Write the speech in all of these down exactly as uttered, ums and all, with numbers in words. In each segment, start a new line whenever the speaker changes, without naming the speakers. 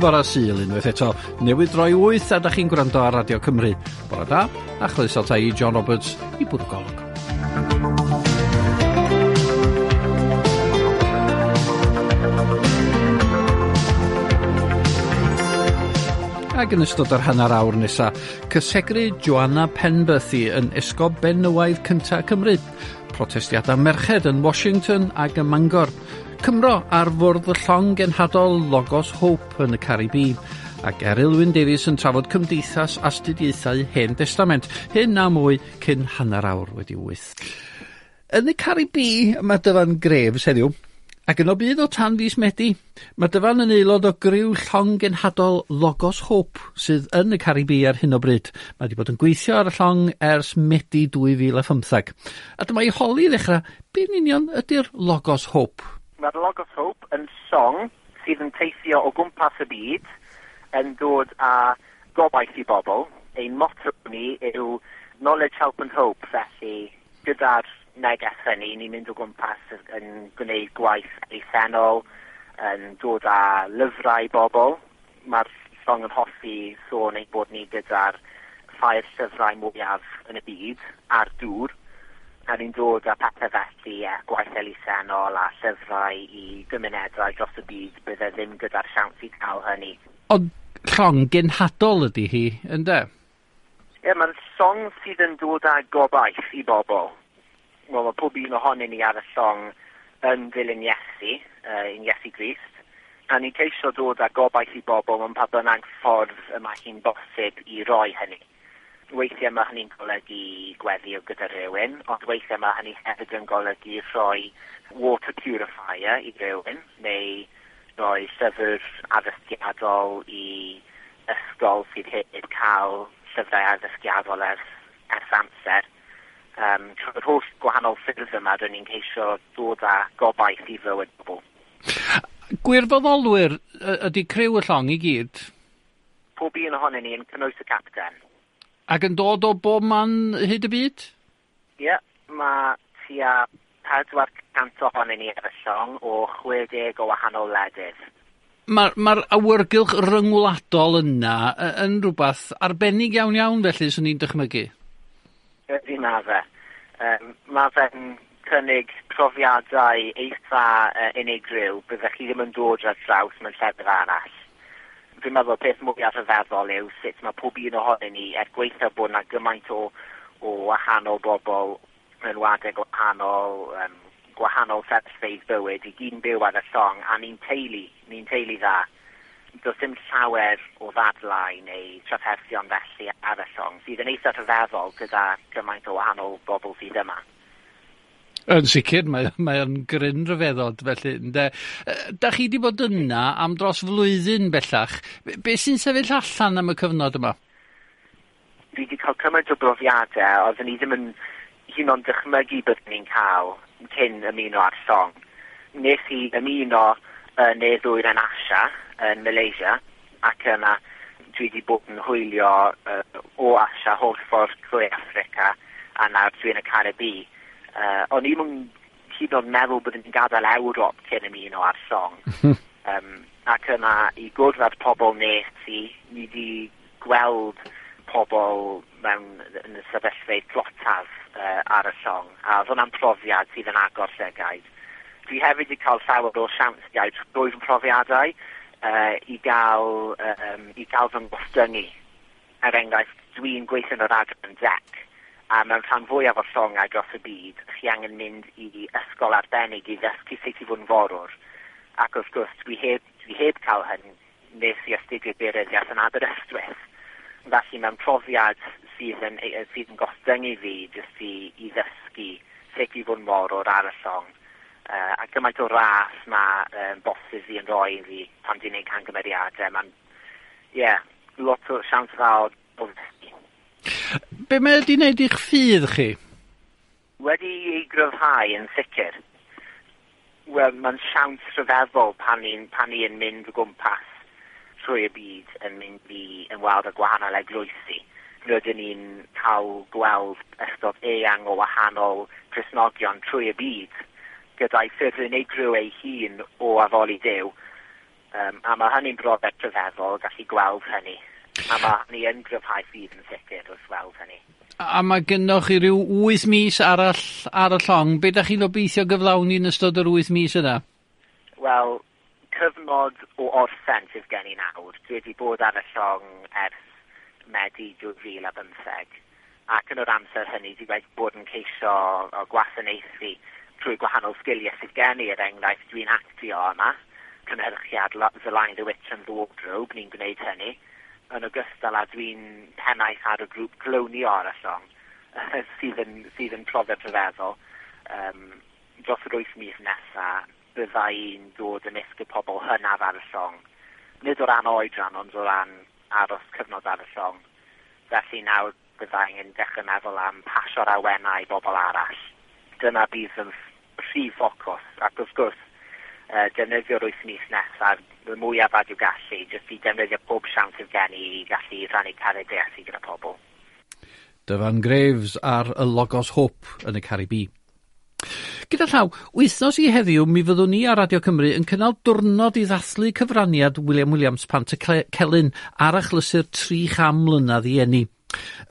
fora Sul unwaith eto. Newydd droi wyth a da chi'n gwrando ar Radio Cymru. Bore da, a chroeso ta i John Roberts i bwrw golwg. Ac yn ystod yr hanner awr nesa, cysegru Joanna Penberthy yn esgob benywaidd cynta Cymru. Protestiadau merched yn Washington ac ym Mangor. Cymro ar fwrdd y llong genhadol Logos Hope yn y Caribî. Ac Eryl Wyn Davies yn trafod cymdeithas astudiaethau Hen Destament. Hyn a mwy cyn hanner awr wedi wyth. Yn y Caribî mae Dyfan Graves heddiw. Ac yno bydd o tan fis Medi. Mae Dyfan yn aelod o griw llong genhadol Logos Hope sydd yn y Caribî ar hyn o bryd. Mae wedi bod yn gweithio ar y llong ers Medi dwy fil a phymthag. A dyma i holi i ddechrau, be'n union ydy'r Logos Hope?
Mae'r Logos Hope yn llong sydd yn teithio o gwmpas y byd yn dod â gobaith i bobl. Ein motto ni yw Knowledge, Help and Hope, felly gyda'r neges hynny, ni'n mynd o gwmpas yn gwneud gwaith elusennol, yn dod â lyfrau i bobl. Mae'r llong yn hoffi sôn ein bod ni gyda'r ffair llyfrau mwyaf yn y byd a'r dŵr. A ni'n dod â pethau felly, e, gwaith elusennol a llyfrau i gymunedau dros y byd bydde ddim gyda'r siawns i cael hynny.
Ond llong genhadol ydy hi, ynde?
Ie, mae'n llong sydd yn dod â gobaith i bobl. Wel, mae pob un ohonyn ni ar y llong yn dilyn Iesu, uh, yn Iesu Grist, a ni'n ceisio dod â gobaith i bobl mewn pa bynnag ffordd y mae hi'n bosib i roi hynny. Weithiau mae hynny'n golygu gweddio gyda rhywun, ond weithiau mae hynny hefyd yn golygu rhoi water purifier i rhywun, neu rhoi llyfr addysgiadol i ysgol sydd heb cael llyfrau addysgiadol ers, ers amser. Um, trwy'r holl gwahanol ffyrdd yma, rydyn ni'n ceisio dod â gobaith i fywyd bobl.
Gwirfoddolwyr ydy criw y llong i gyd?
Pob un ohonyn ni yn cynnwys y capten.
Ac yn dod o bob man hyd y byd?
Ie, yeah, mae tua pedwar cant ohonyn ni ar y llong o chwe deg o wahanol wledydd.
Mae'r ma awyrgylch ryngwladol yna yn rhywbeth arbennig iawn iawn felly, swn i'n dychmygu?
Ydy, ma fe. Um, ma fe'n cynnig profiadau eitha uh, unigryw, byddech chi ddim yn dod ar draws mewn llefydd arall. Dwi'n meddwl peth mwyaf rhyfeddol yw sut mae pob un ohonyn ni, er gweithio bod yna gymaint o, o wahanol bobl mewn wladau gwahanol, um, gwahanol sefyllfeydd bywyd, i gyd yn byw ar y llong, a ni'n teulu, ni'n teulu dda. Does dim llawer o ddadlau neu trafferthion felly ar y llong, sydd yn eitha rhyfeddol gyda gymaint o wahanol bobl sydd yma.
Yn sicr, mae, mae o'n gryn rhyfeddod felly. Ynde. Da chi wedi bod yna am dros flwyddyn bellach. Be sy'n sefyll allan am y cyfnod yma?
Dwi wedi cael cymaint o brofiadau, oeddwn ni ddim yn hyd yn oed dychmygu byddwn ni'n cael cyn ymuno â'r llong. Nes i ymuno yn ne ddwyrain Asia, yn Malaysia, ac yna dwi wedi bod yn hwylio uh, o Asia holl ffordd trwy Affrica a nawr dwi yn y Caribî. Uh, o'n i'm yn hyd yn oed meddwl bod yn gadael Ewrop cyn ymuno â'r llong. um, ac yna i gwrdd â'r pobl nes i, ni wedi gweld pobl mewn yn y sefyllfeydd tlotaf uh, ar y llong, a oedd hwnna'n profiad sydd yn agor llygaid. Dwi hefyd wedi cael llawer o siansiau drwy fy profiadau uh, i gael, um, i gael fy ngostyngu. Er enghraifft, dwi'n gweithio yn yr adran dec, a mewn rhan fwyaf o'r llongau dros y byd, chi angen mynd i ysgol arbennig i ddysgu sut i fod yn forwr. Ac wrth gwrs, dwi heb, dwi heb cael hyn nes i astudio daearyddiaeth yn Aberystwyth. Felly mewn profiad sydd yn, sydd yn gostyngu fi jyst i, i ddysgu sut i fod yn forwr ar y llong. Uh, a gymaint o ras mae um, bosses fi yn rhoi i fi pan dwi'n gwneud camgymeriadau. Mae'n, ie, yeah, lot o siawns dda o ddysgu.
Be mae wedi wneud i'ch ffydd chi?
Wedi ei gryfhau yn sicr. Wel, mae'n siawns rhyfeddol pan ni'n pan ni'n mynd o gwmpas trwy y byd yn mynd i ymweld â gwahanol eglwysi. Rydyn ni'n cael gweld ystod eang o wahanol Cristnogion trwy y byd gyda'i ffyrdd unigryw ei hun o addoli Duw. Um, a mae hynny'n brofiad rhyfeddol, gallu gweld hynny. A mae hynny yn gryfhau ffydd yn sicr wrth weld hynny.
A mae gennych chi ryw wyth mis arall ar y llong. Be da chi'n obeithio gyflawni yn ystod yr wyth mis yna?
Wel, cyfnod o orffen sydd gen i nawr. Dwi wedi bod ar y llong ers Medi dwy fil a bymtheg. Ac yn yr amser hynny, dwi wedi bod yn ceisio o gwasanaethu trwy gwahanol sgiliau sydd gen i. Er enghraifft, dwi'n actio yma. Cynhyrchiad The Lion, the Witch and the Wardrobe, ni'n gwneud hynny. Yn ogystal â dwi'n pennaeth ar y grŵp clownio ar y llong, sydd yn, sydd yn profiad rhyfeddol. Um, dros yr wyth mis nesaf, bydda i'n dod ymysg y pobl hynaf ar y llong. Nid o ran oedran, ond o ran aros cyfnod ar y llong. Felly nawr bydda i'n dechrau meddwl am pasio'r awenau i bobl arall. Dyna bydd yn prif ffocws, ac wrth gwrs, uh, defnyddio'r wyth mis nesaf y mwyaf a dwi'n gallu, jyst i defnyddio pob siawns sydd gen i i gallu rhannu cariad Iesu gyda pobl.
Dyfan Graves ar y Logos Hope yn y Caribi. Gyda llaw, wythnos i heddiw mi fyddwn ni ar Radio Cymru yn cynnal diwrnod i ddathlu cyfraniad William Williams Pantycelyn ar achlysur tri chan mlynedd i eni.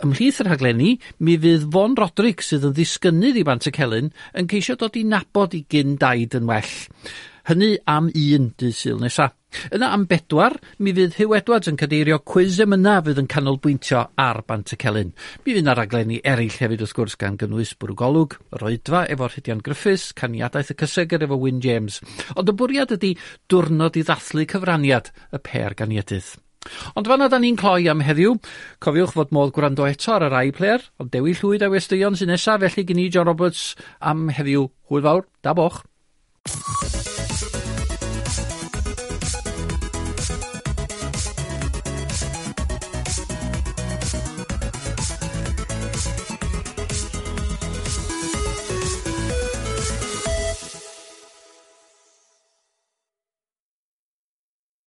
Ymhlith y rhaglenni, mi fydd Fon Roderick sydd yn ddisgynnydd i Bantycelyn yn ceisio dod i nabod i gyn daid yn well. Hynny am un dydd Sul nesa. Yna am bedwar, mi fydd Huw Edwards yn cadeirio cwis emyna fydd yn canolbwyntio ar Bantycelyn. Mi fydd yna raglenni eraill hefyd wrth gwrs gan gynnwys Bwrw Golwg, yr Oedfa efo Rhydian Griffiths, Caniadaeth y Cysegr efo Wyn James. Ond y bwriad ydy diwrnod i ddathlu cyfraniad y pêr ganiedydd. Ond fanna da ni'n cloi am heddiw. Cofiwch fod modd gwrando eto ar yr iPlayer, ond Dewi Llwyd a westeion sy'n nesaf, felly gen i John Roberts am heddiw. Hwyl fawr, da boch.